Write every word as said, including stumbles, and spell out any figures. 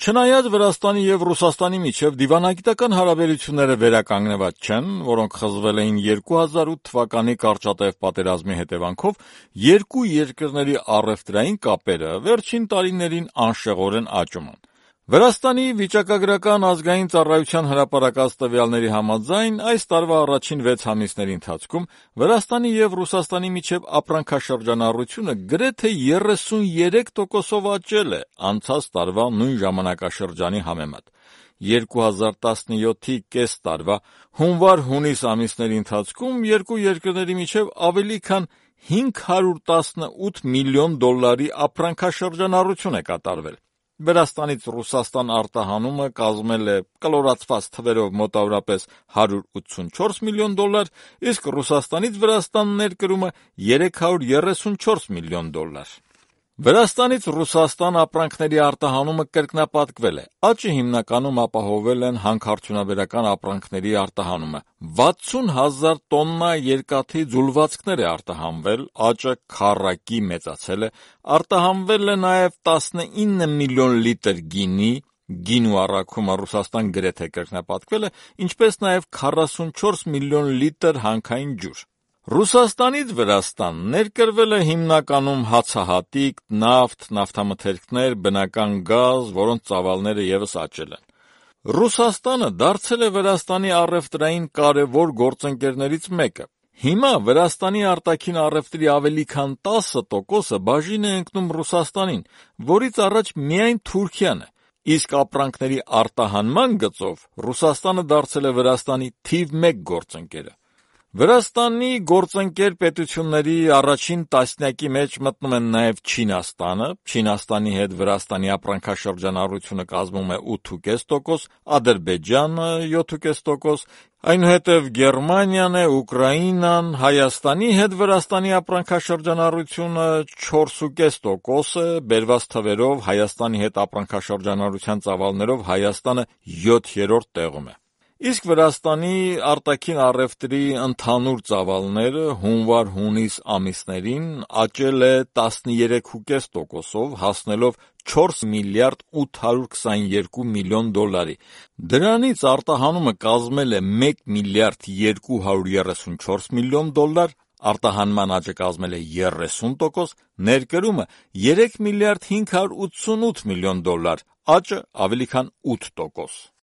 Չնայած Վրաստանի եւ Ռուսաստանի միջեւ դիվանագիտական հարաբերությունները վերականգնված չեն, որոնք խզվել էին երկու հազար ութ թվականի կարճատև պատերազմի հետևանքով, երկու երկրների առևտրային կապերը վերջին տարիներին անշեղորեն աճում են։ Վրաստանի վիճակագրական ազգային ծառայության հրապարակած տվյալների համաձայն այս տարվա առաջին վեց ամիսների ընթացքում Վրաստանի եւ Ռուսաստանի միջեւ ապրանքաշրջանառությունը գրեթե երեսունյերեք տոկոսով աճել է անցած տարվա նույն ժամանակաշրջանի համեմատ։ երկու հազար տասնյոթի կես տարվա հունվար-հունիս ամիսների ընթացքում երկու երկրների միջեւ ավելի քան հինգ հարյուր տասնութ միլիոն դոլարի ապրանքաշրջանառություն է կատարվել։ Վրաստանից Ռուսաստան արտահանումը կազմել է կլորացված թվերով մոտավորապես հարյուր ութսունչորս միլիոն դոլար, իսկ Ռուսաստանից Վրաստան ներկրումը երեք հարյուր երեսունչորս միլիոն դոլար։ Վրաստանից Ռուսաստան ապրանքների արտահանումը կրկնապատկվել է։ Աճը հիմնականում ապահովել են հանքարդյունաբերական ապրանքների արտահանումը։ վաթսուն հազար տոննա երկաթի ձուլվածքներ է արտահանվել, աճը քառակի մեծացել է, արտահանվել է նաև տասնինը միլիոն լիտր գինի, գինու առաքումը Ռուսաստան գրեթե կրկնապատկվել է, ինչպես նաև քառասունչորս միլիոն լիտր հանքային ջուր։ Ռուսաստանից Վրաստան ներկրվել է հիմնականում հացահատիկ, նավթ, նավթամթերքներ, բնական գազ, որոնց ծավալները ևս աճել են։ Ռուսաստանը դարձել է Վրաստանի առևտրային կարևոր գործընկերներից մեկը։ Հիմա Վրաստանի արտաքին առևտրի ավելի քան տասը տոկոսը բաժին է ընկնում Ռուսաստանին, որից առաջ միայն Թուրքիան է, իսկ ապրանքների արտահանման գծով Ռուսաստանը դարձել է Վրաստանի թիվ մեկ գործընկերը։ Վրաստանի գործընկեր պետությունների առաջին տասնյակի մեջ մտնում են նաև Չինաստանը, Չինաստանի հետ Վրաստանի ապրանքաշրջանառությունը կազմում է ութ կես տոկոս, Ադրբեջանը յոթ կես տոկոս, այնուհետև Գերմանիան է, Ուկրաինան, Հայաստանի հետ Վրաստանի ապրանքաշրջանառությունը չորս կես տոկոս է, բերված թվերով Հայաստանի հետ ապրանքաշրջանառության ծավալներով Հայաստանը յոթերորդ տեղում է։ Իսկ Վրաստանի արտաքին առևտրի ընդհանուր ծավալները հունվար-հունիս ամիսներին աճել է տասներեք կես տոկոսով, հասնելով չորս միլիարդ ութ հարյուր քսաներկու միլիոն դոլարի։ Դրանից արտահանումը կազմել է մեկ միլիարդ երկու հարյուր երեսունչորս միլիոն դոլար, արտահանման աճը կազմել է երեսուն տոկոս, ներկրումը երեք միլիարդ հինգ հարյուր ութսունութ միլիոն դոլար, աճը ավելի քան ութ տոկոս։